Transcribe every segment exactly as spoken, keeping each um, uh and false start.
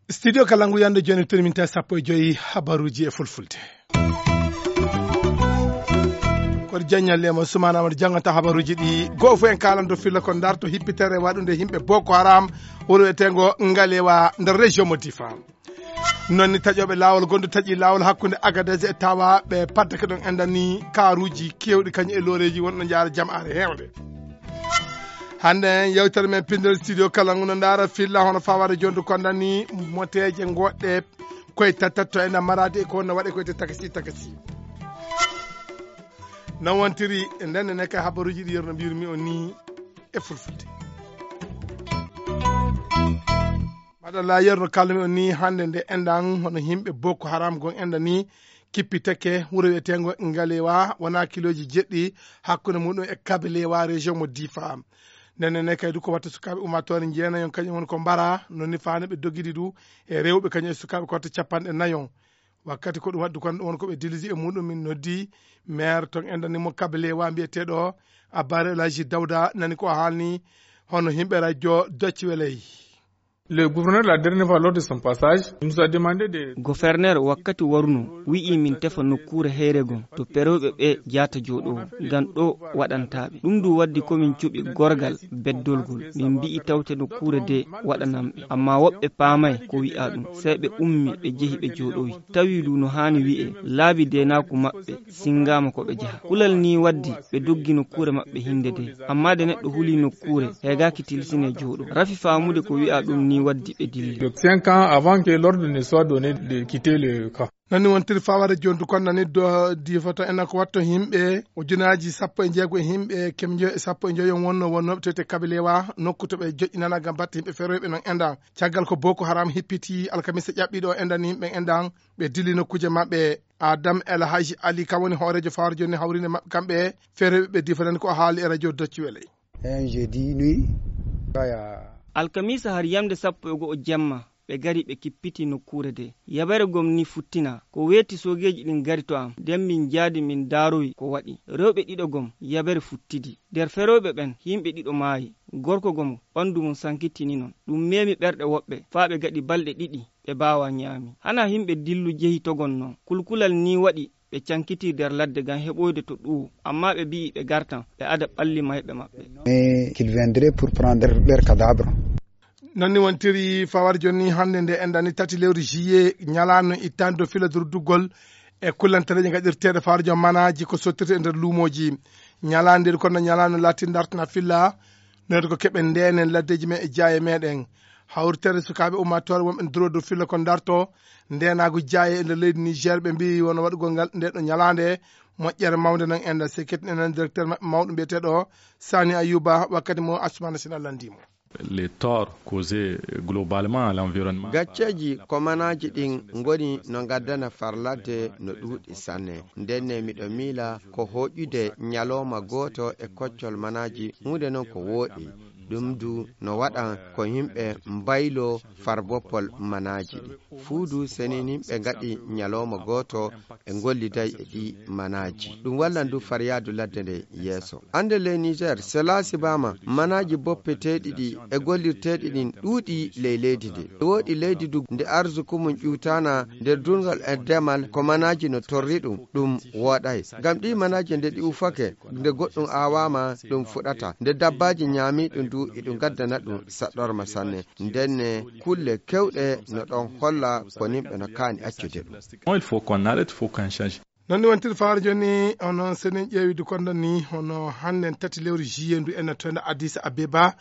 Studio Kalangu, yande jooni, teniminta sappo e joyi habaruuji e fulfulde. Koto Jaññal Lema Sumaana Amadu janngata habaruuji ɗi. Goo fof en kaalanto filla ko ndarto hippitere waɗunde yimɓe Boko Haram, wuro wiyeteengo Ngalewa, nder région mo Difa. Noon ni taƴooɓe laawol, gonɗo taƴi laawol hakkunde Agadez e Tawa, ɓe paddake ɗon, enɗan ni kaaruuji keewɗi, kañum e looreeji wonɗo njaara jamaare heewde. Hannde yewtere men pinndere studio kala ngu no ndaara filla hono fawaade jonde ko enɗan ni moteeje ngoɗɗe koye tatatto enɗan maraade e ko no waɗe koye takasi takasi. No wontiri ndenne ne kay habaruuji ɗi yerno mbirmi on ni e fulfulde. Maɗalla yerno kalmi on ni hannde nde enɗan hono yimɓe Boko Haram gon enɗan ni kippitake wuro wiyeteengo Ngalewa, wona kilooji jeɗɗi hakkunde muɗum e Kabalewa, région mo Difa. Ndenne ne kay du ko watta sukaaɓe ummaatoore njeenayon kañum woni ko mbara, no ni faani ɓe dogidi du e rewɓe kañum e sukaaɓe ko watta capanɗe nayon. Wakkati ko ɗum waɗi du kon won ko ɓe dilisi e muɗum, min noddi maire ton enɗan ni mo Kabalewa mbiyeteeɗo Abare El Hadji Dawda, nani ko haalni hono yimɓe radio Doc Weley. Le gouverneur, la dernière fois lors de son passage, il nous a demandé de Gouverneur wakkati waruno wi'i min tefa nokkuure heyre gon to perewɓe ɓe jaata jooɗowo ngam ɗo waɗantaaɓe. Ɗum du waddi ko min cuɓi gorgal beddolgol. Min mbi'i tawte nokkuure de waɗananɓe. Amma woɓɓe paamay ko wi'a ɗum. Sey ɓe ummi ɓe jehi ɓe jooɗowi. Tawi du no haani wi'e laabi deenaaku maɓɓe singaama ko ɓe jaha. Kulal ni waddi ɓe doggi nokkuure maɓɓe hinde de. Amma de neɗɗo huli nokkuure, heegaaki tilsine jooɗo. Rafi faamude ko wi'a ɗum ni waddi ɓe dilli. Donc cinq ans avant que l'ordre ne soit donné de quitter le camp. Nani wontiri faware joni du kon nani do difoto en ko watto yimɓe ujunaaji sappo e jeego e yimɓe kemjo e sappo e joyo wonno wonnooɓe tete Kabalewa nokku to ɓe joƴƴinana ngam batte yimɓe feroyɓe non enɗan. Caggal ko Boko Haram hippiti alkamisa ƴaɓɓiɗo enɗan yimɓe enɗan, ɓe dilli nokkuuje maɓɓe. Adam El Hadji Ali kam woni hooreejo fawre joni hawrinde maɓɓe kamɓe feroyɓe ɓe difoten ko haali e radio Doc Weley. Un jeudi nuit, kaya. Alkamisa har yamde sappo e go'o jemma, ɓe gari ɓe kippiti nokkuure de. Yabere gom ni futtina, ko weeti soogeeji ɗin gari to am, nden min jaadi min daarowi ko waɗi. Rewɓe ɗiɗo gom, yabere futtidi. Nder ferooɓe ɓen, yimɓe ɗiɗo maayi. Gorko gom, ɓandu mum sankitini non. Ɗum meemi ɓerɗe woɓɓe, faa ɓe gaɗi balɗe ɗiɗi, ɓe baawa ñaami. Hana yimɓe dillu jehi togon non. Kulkulal ni waɗi, ɓe cankiti nder ladde ngam heɓoyde to ɗuwo, amma ɓe mbi'i ɓe gartan, ɓe ada ɓalli mayɓe maɓɓe. Mais qu'il viendrait pour prendre leur cadavre. Noon ni wontiri fawar joni hannde nde enɗan ni tati lewru juillet, ñalaande ittaande dow fila durduggol e kullantareeje gaɗirteeɗe fawar jom manaaji ko sottirte e nder luumooji. Ñalaande nde kono ñalaande laatin dartana filla, noon ko keɓen ndeenen laddeeji men e jaaye meɗen. Hawritere sukaaɓe ummaatoore wonɓe nduro dow filla ko darto ndeenaagu jaaye e nder leydi Niger, ɓe mbiyi wona waɗugol ngal nde ɗo ñalaande moƴƴere mawnde non enɗan. Sekket enen directeur maɓɓe mawɗo mbiyeteeɗo Sani Ayuba wakkati mo Assoumana Sina lanndii mo. Les torts causés globalement à l'environnement. Gacceeji ko manaaji ɗin ngoni no ngaddana farladde no ɗuuɗi sanne. Ndenne miɗo miila ko hoƴude ñalooma gooto e koccol manaaji, huunde non ko wooɗi. Ɗum du no waɗan ko yimɓe mbaylo farboppol manaaji ɗi. Fuu du seniinimɓe ngaɗi ñalooma gooto e ngolliday e ɗi manaaji. Ɗum wallan du faryaadu ladde nde yeeso. Annde ley Niger, sela sibaama manaaji boppeteeɗi ɗi e gollirteeɗi ɗin ɗuuɗi ley leydi ndi. Wooɗi leydi du nde arsuku mum ƴuwtaana nder durngol e demal ko manaaji no torri ɗum, ɗum wooɗay. Ngam ɗi manaaji nde ɗi ufake, nde goɗɗum aawaama, ɗum fuɗata. Nde dabbaaji ñaami ɗum du, iɗum gaddana ɗum saɗɗorma sanne. Ndenne kulle kewɗe no ɗon holla ko nimɓe no kaani accude ɗum. Il faut qu'on arrête, il faut qu'on change. Noon ni wontir faare jooni, hono so en ƴeewi du kondo ni, hono hannden tati lewru juillet ndu en nattoyno Addis Abeba,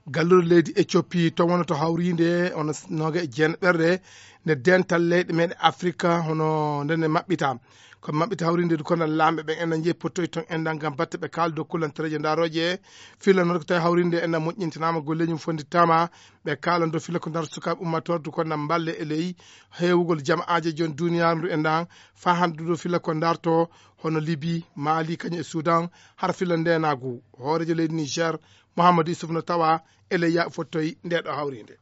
gallure leydi Éthiopie, to wonno to hawriinde, hono s-, nooga e jeenaɓerde nde dental leyɗe meɗen Afrika, hono nden ne maɓɓita. Ko maɓɓita hawriinde du kono laamɓe ɓen en na jeeyi pottoy toon en ngam batte ɓe kaala dow kullantereeje ndarooje. Filla noon ko tawi hawriinde en na moƴƴintinaama, golleeji mum fondittaama, ɓe kaalan dow filla ko ndar sukaaɓe ummatorde ko na mballe e ley heewugol jama'aaje jon duniyaaru ndu e ndan, faa hannde dow filla ko ndarto hono Libi, Mali, kañum e Sudan, hara filla ndeenaagu. Hooreejo leydi Niger, Mouhamadou Youssouf no tawa e ley yaaɓe fottoy nde ɗo hawriinde.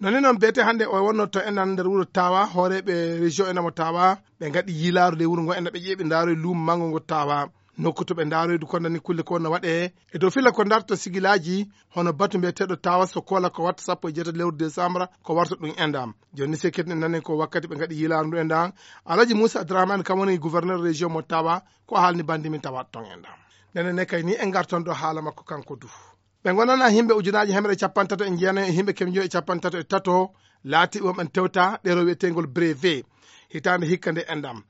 Noni noon beete hannde o wonno to enɗan nder wuro Tawa, hooreeɓe région enɗan mo Tawa, ɓe ngaɗi yiilaaru ley wuro ngo enɗan ɓe ƴeeɓi ndaaro e luumo manngo ngo Tawa. Nokku to ɓe ndaaroydu kondani kulle ko wonno waɗee. E dow filla ko darta sigilaaji, hono batu mbiyeteeɗo Tawa so koola ko watta sappo e jeetati lewru décembre, ko warta ɗum enɗan. Jooni ni se keɗen nani ko wakkati ɓe ngaɗi yiilaaru ndu enɗan. Alhaji Moussa Abdourahmane kam woni gouverneur région mo Tawa, ko haalni bandi min tawa ton enɗan. Ndenen ne kay ni en ngartan ɗo haala makko kanko du. Ɓe ngonana yimɓe ujunaaji hemre e capanɗe tato e jeenayi e yimɓe kemjo e capanɗe tato e tato, laati wonɓe tewta ɗeero wiyeteengol brevet. Hitaande hikka nde enɗan.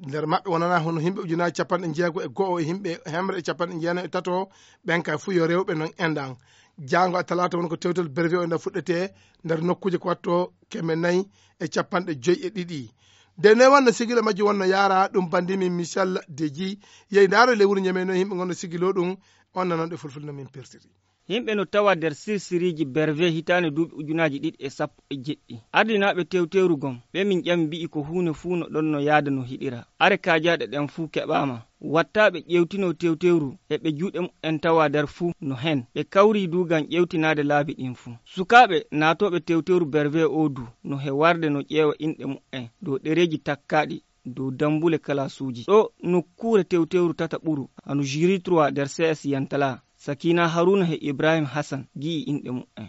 Nder maɓɓe wonana hono yimɓe ujunaaji capanɗe jeego e go'o e yimɓe hemre e capanɗe jeenayi e tato, ɓen kay fuu yo rewɓe non enɗan. Jaango a talaata woni ko tewtel brevet o enɗan fuɗɗetee nder nokkuuje ko watto keme nayi e capanɗe joyi e ɗiɗi. De ne wonno sigila majji wonno yaara ɗum bandi min Michel Deji, yehi ndaaro ley wuro Ñeme no yimɓe ngonno sigilo ɗum, on nanon ɗe fulfulde no min pertiri. Yimɓe no tawa nder sirsiriiji brevet hitaande duuɓi ujunaaji ɗiɗi e sappo e jeɗɗi. Ardinaaɓe tewtewru gom, ɓe min ƴami mbi'i ko huune fuu no ɗon no yaada no hiɗira. Are kaajaaɗe ɗen fuu keɓaama. Wattaaɓe ƴeewtinoo tewtewru e ɓe juuɗe muɓɓen tawa nder fuu no hen. Ɓe kawrii du ngam ƴeewtinaade laabi ɗin fuu. Sukaaɓe naatooɓe tewtewru brevet oo du no he warde no ƴeewa inɗe muɓɓen dow ɗereeji takkaaɗi dow dammbule kalaasuuji. Ɗo nokkuure tewtewru tata ɓuru, hano jury trois nder C S Yantala, Sakina Haruna he Ibrahim Hassan gi'i inɗe muɓɓen.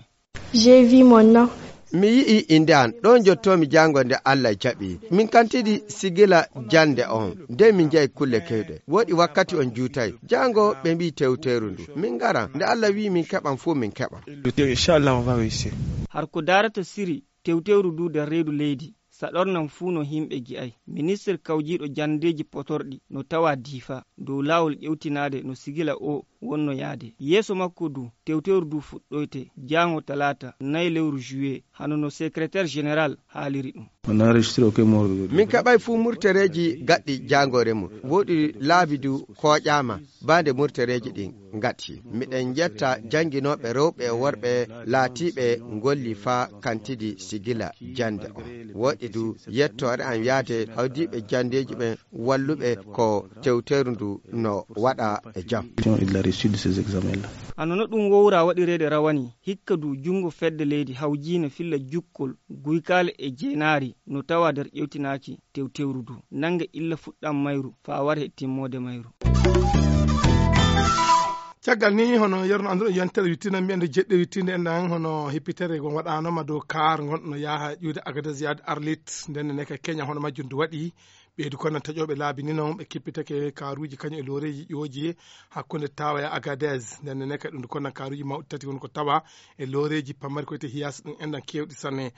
J'ai vu mon nom. Mi yi'i innde an, ɗo njottoomi jaango nde Allah jaɓi. Min kantidi sigila jannde on, nde min njahi kulle kewɗe. Woɗi wakkati on juutay. Jaango ɓe mbi'i tewteeru ndu. Min ngara, nde Allah wi'i min keɓan fuu min keɓan. Inchallah, on va réussir. Har ko daarata siri tewtewru ndu nder reedu leydi, saɗornan fuu no yimɓe gi'ay. Ministir kawjiiɗo janndeeji potorɗi no tawa Diifa, dow laawol ƴewtinaade no sigila o wonno yaade. Yeeso makko du, tewtewru du fuɗɗoyte jaango talaata, nayi lewru juillet, hano no secrétaire général haaliri ɗum. On a enregistré aucun mort aujourd'hui. Min keɓay fuu murtereeji gaɗɗi jaangoore mum. Woɗi laabi du kooƴaama, baa nde murtereeji ɗin ngati. Miɗen njetta jannginooɓe rewɓe e worɓe laatiiɓe ngolli faa kantidi sigila jannde on. Woɗi du yettoore an yaade hawdiiɓe janndeeji ɓen walluɓe ko tewteeru ndu no waɗa e jam. Il a réussi de ces examens-là. Hano no ɗum wowra waɗireede rawani, hikka du junngo fedde leydi hawjiine filla jukkol guykaale e jeenaari no tawa nder ƴewtinaaki tewtewru du. Nannge illa fuɗɗam mayru faa ware timmoode mayru. Caggal ni, hono yerno annduɗo yontere wittiinde, mbiyen nde jeɗɗi wittiinde en ɗan, hono hippitere ngon waɗaanoma dow kaar ngon no yaha ƴuwde Agadez yaade Arlit, nden ne ka Kenya hono majjum du waɗi. Ɓeydu kono taƴooɓe laabi ni non, ɓe kippitake kaaruuji kañum e looreeji ƴooji hakkunde Tawa e Agadez. Nden ne kadi ɗum kono kaaruuji mawɗi tati woni ko tawa e looreeji pamari ko wiyetee Hiace ɗum en ɗan keewɗi sanne.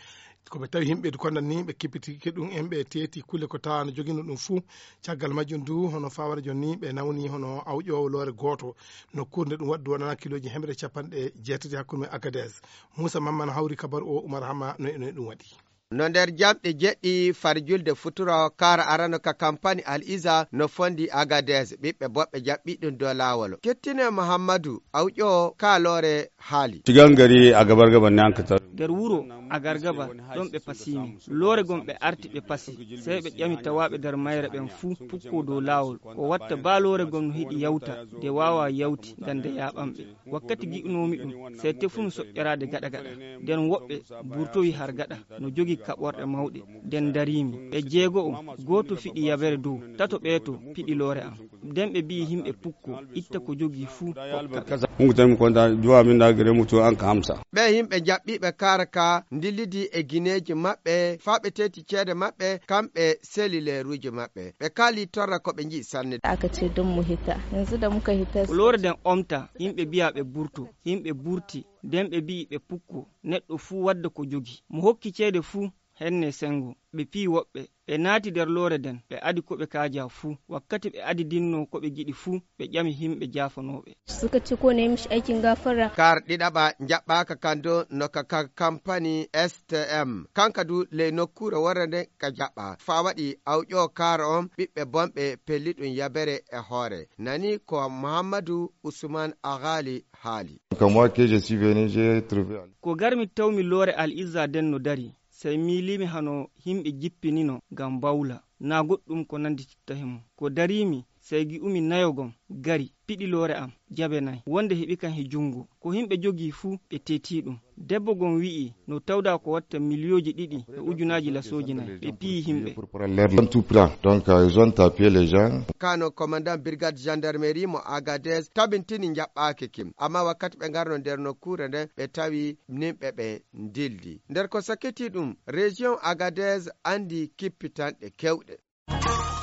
Ko ɓe tawi yimɓe du kono ni ɓe kippitike ɗum en, ɓe teeti kulle ko tawa no jogino ɗum fuu. Caggal majjum du hono fawara jon ni ɓe nawni hono awƴoowo loore gooto. Nokkuure nde ɗum waɗi du wonana kilooji hemre capanɗe jeetati hakkunde Agadez. Muusa Mamman hawri kabaru o, Umar Hama no e no e ɗum waɗi. No nder jamɗe jeɗɗi far julde futuro, kaara arano ka kampani Al Iza no fondi Agadez, ɓiɓɓe boɓɓe jaɓɓi ɗum dow laawol. Kettine Muhammadu, awƴo ka loore haali. Cikin gari a gabar gabar ne an ka tar. Nder wuro Agargaba, ɗon ɓe pasiimi. Loore gom ɓe arti ɓe pasi. Sey ɓe ƴami tawaaɓe nder mayre ɓen fuu pukko dow laawol. Ko watta baa loore gom no hiɗi yawta, de waawa yawti, ngam nde yaaɓan ɓe. Wakkati gi'unoomi ɗum, sey tefunu soƴƴoraade gaɗa gaɗa. Nden woɓɓe burtowi har gaɗa, no jogi kaɓorɗe mawɗe. Nden ndariimi. Ɓe jeego'o, gooto fiɗi yabere dow, tato ɓeeto piɗi loore am. Nden ɓe bi'i himɓe pukko, itta ko jogii fuu, hokka ɓe. Hungu tan mi konta, duwa min da gare mutu an ka hamsa. Ɓe yimɓe jaɓɓiiɓe kaara ka ndillidi e gineeji maɓɓe, faa ɓe teeti ceede maɓɓe, kamɓe selileeruuji maɓɓe. Ɓe kaali torra ko ɓe nji'i sanne. Aka ce don mu hita. Yanzu da muka hita. Ko loore nden omta, yimɓe bi'a ɓe burto. Yimɓe burti, nden ɓe bi'i ɓe pukko, neɗɗo fuu wadda ko jogi. Mo hokki ceede fuu, henne sengo. Ɓe piyi woɓɓe, ɓe naati nder loore nden, ɓe adi ko ɓe kaaja fuu. Wakkati ɓe adidinno ko ɓe giɗi fuu, ɓe ƴami himɓe jaafanooɓe. Suka ce ko ne mishi aikin gafara. Kaar ɗiɗaɓa njaɓɓaaka kan dow no ka, ka kampani S T M. Kanka du ley nokkuure worre nden ka jaɓɓa. Faa waɗi awƴo kaar on ɓiɓɓe bonɓe pelli ɗum yabere e hoore. Nani ko Muhammadu Usman Aghali haali. Comme moi que je suis venu, j'ai trouvé. Ko garmi tawmi loore Al Izza nden no dari. Sey miiliimi hano yimɓe jippinino ngam bawla, naa goɗɗum ko nanndititta he mum. Ko dariimi, Sey gi'umi nayo gom gari, piɗi loore am, jabe nay, wonde heɓi kam he junngo. Ko himɓe jogii fuu, ɓe teetii ɗum. Debbo gom wi'i, no tawdaa ko watta miliyooji ɗiɗi e ujunaaji lasooji nay, ɓe piyi himɓe. Pour prendre leur temps. Tout prend. Donc, euh, ils ont tapé les gens. Kano, commandant brigade gendarmerie mo Agadez, tabintini njaɓɓaaki kim. Amma wakkati ɓe ngarno nder nokkuure nden, ɓe tawi nimɓe ɓe ndildi. Nder ko sakkiti ɗum, région Agadez andi kippitanɗe kewɗe.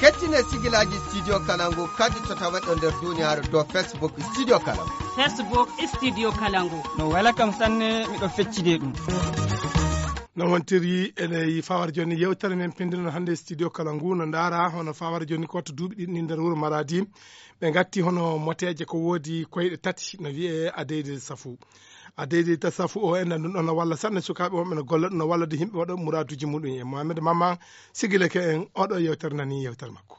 Kettine sigilaaji Studio Kalangu kadi to taweɗo nder duniyaaru dow Facebook Studio Kalangu. Facebook Studio Kalangu. No wela kam sanne, miɗo feccide ɗum. No wontiri ene fawar joni yewtere men pindino hannde Studio Kalangu no ndaara hono fawar joni ko to duuɓi ɗiɗi ni nder wuro Maradi. Ɓe ngatti hono moteeje ko woodi koyɗe tati no wiyee adeyde safu. Adeyde safu o en ɗum ɗon no walla sanne sukaaɓe wonɓe no golla ɗum no walla de yimɓe waɗa muraaduuji muɗum e Mohamed Mama sigileke en oɗo yewtere nani yewtere makko.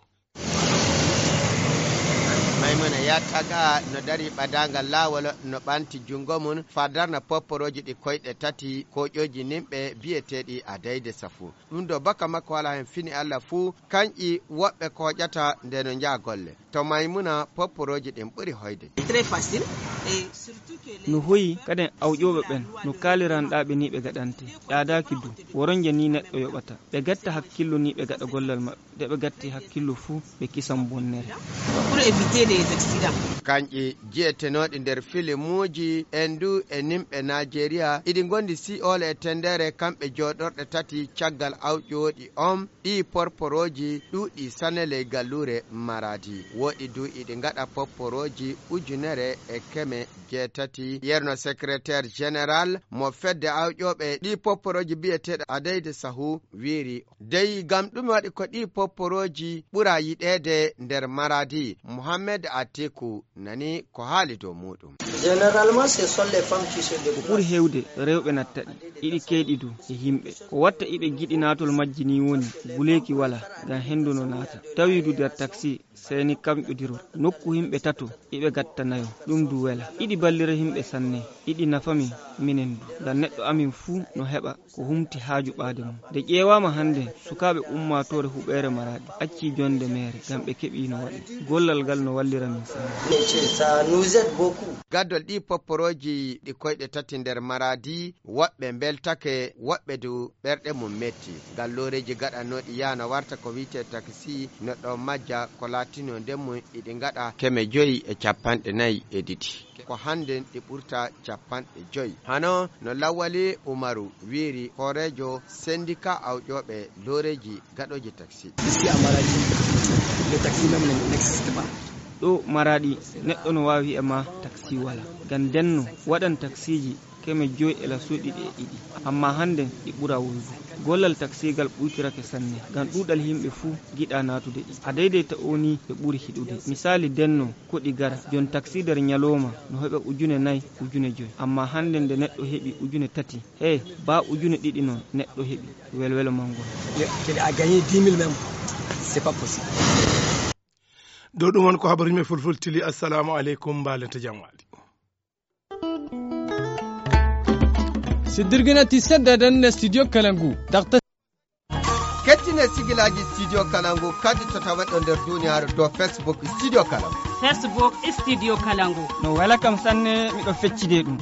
Maymuna Yataga no dari ɓadaangal laawol no ɓanti junngo mum faa darna popporooji ɗi koyɗe tati koƴooji nimɓe biyeteeɗi adeyde safu. Ɗum ɗo baka makko alaa heen fini Alla fuu, kanƴi woɓɓe kooƴata nde no njaha golle. To Maymuna, popporooji ɗin ɓuri hoyde. No hoyi kaden awƴooɓe ɓen no kaaliranɗaaɓe ni ɓe gaɗante. Ƴaadaaki du, woronje ni neɗɗo yoɓata. Ɓe gatta hakkillo ni ɓe gaɗa gollal maɓɓe. Nde ɓe gatti hakkillo fuu, ɓe kisan bonnere. Pour éviter les accidents. Kanƴi jiyetenooɗi nder filimuuji, en du e nimɓe Naajeeriya, iɗi ngondi sii'oole e tendeere kamɓe jooɗorɗe tati caggal awƴooɗi on. Ɗii porporooji ɗuuɗi sanne ley galluure Maradi. Woɗi du iɗi ngaɗa porporooji ujunere e keme jeetati. Yerno secrétaire général mo fedde awƴooɓe ɗii porporooji biyeteeɗo Adeyde Sahu wiiri. Dey, ngam ɗume waɗi ko ɗii porporooji ɓura yiɗeede nder Maradi? Mohamed Atiku nani ko haali dow muuɗum. Généralement, ce sont les femmes qui se débrouillent. Ɓuri heewde, rewɓe natta ɗi. Iɗi keeɗi du e yimɓe. Ko watta iɓe giɗi naatol majji nii woni, guleeki walaa, ngam henndu no naata. Tawi du nder taksi, sey ni kamƴodirol. Nokku yimɓe tato, iɓe gatta nayo. Ɗum du wela. Iɗi ballira yimɓe sanne. Iɗi nafa min, minen du. Ngam neɗɗo amin fuu no heɓa ko humti haaju ɓaade mum. Nde ƴeewaama hannde, sukaaɓe ummaatoore huɓeere Maraɗi accii jonnde meere ngam ɓe keɓii no waɗi. Gollal ngal no wallira min sanne. Ça nous aide beaucoup. Gaddol ɗii popporooji ɗi koyɗe tati nder Maraadi, woɓɓe mbeltake, woɓɓe du ɓerɗe mum metti. Ngal looreeji gaɗanooɗi yaha no warta ko wiyetee taksi no ɗo majja ko laatinoo nden mum iɗi ngaɗa keme joyi e cappanɗe nayi e ɗiɗi. Ko hannden ɗi ɓurta cappanɗe joyi. Hano no Lawali Umaru wiiri hooreejo sendika awƴooɓe looreeji gaɗooji taksi. Ici à Maradi, le taxi même n'existe pas. Ɗo Maraɗi, neɗɗo no waawi e ma taksi wala. Ngam ndenno waɗan taksiiji keme joyi e lasuuɗi ɗe ɗiɗi. Amma hannden ɗi ɓura wuldu. Gollal taksiigal ɓuytirake sanne. Ngam ɗuuɗal yimɓe fuu giɗa naatude ɗi. A deydeyta o ni ɓe ɓuri hiɗude. Misaali ndenno ko ɗi gara. Jon taksi nder ñalooma no heɓa ujune nayi, ujune joyi. Amma hannden nde neɗɗo heɓi ujune tati. He, ba ujune ɗiɗi non neɗɗo heɓi. Welwelo mangol. Kede a gagné dix mille même, c'est pas possible. Ɗo ɗum woni ko habaruji men fulfulde tili. Assalamu aleykum, mbaalente jam waali. Siddirgina ti sedda dan na studio Kalangu. Dakta. Kettine sigilaaji studio Kalangu kadi to taweɗo nder duniyaaru dow Facebook studio Kalangu. Facebook studio Kalangu. No wela kam sanne, miɗo feccide ɗum.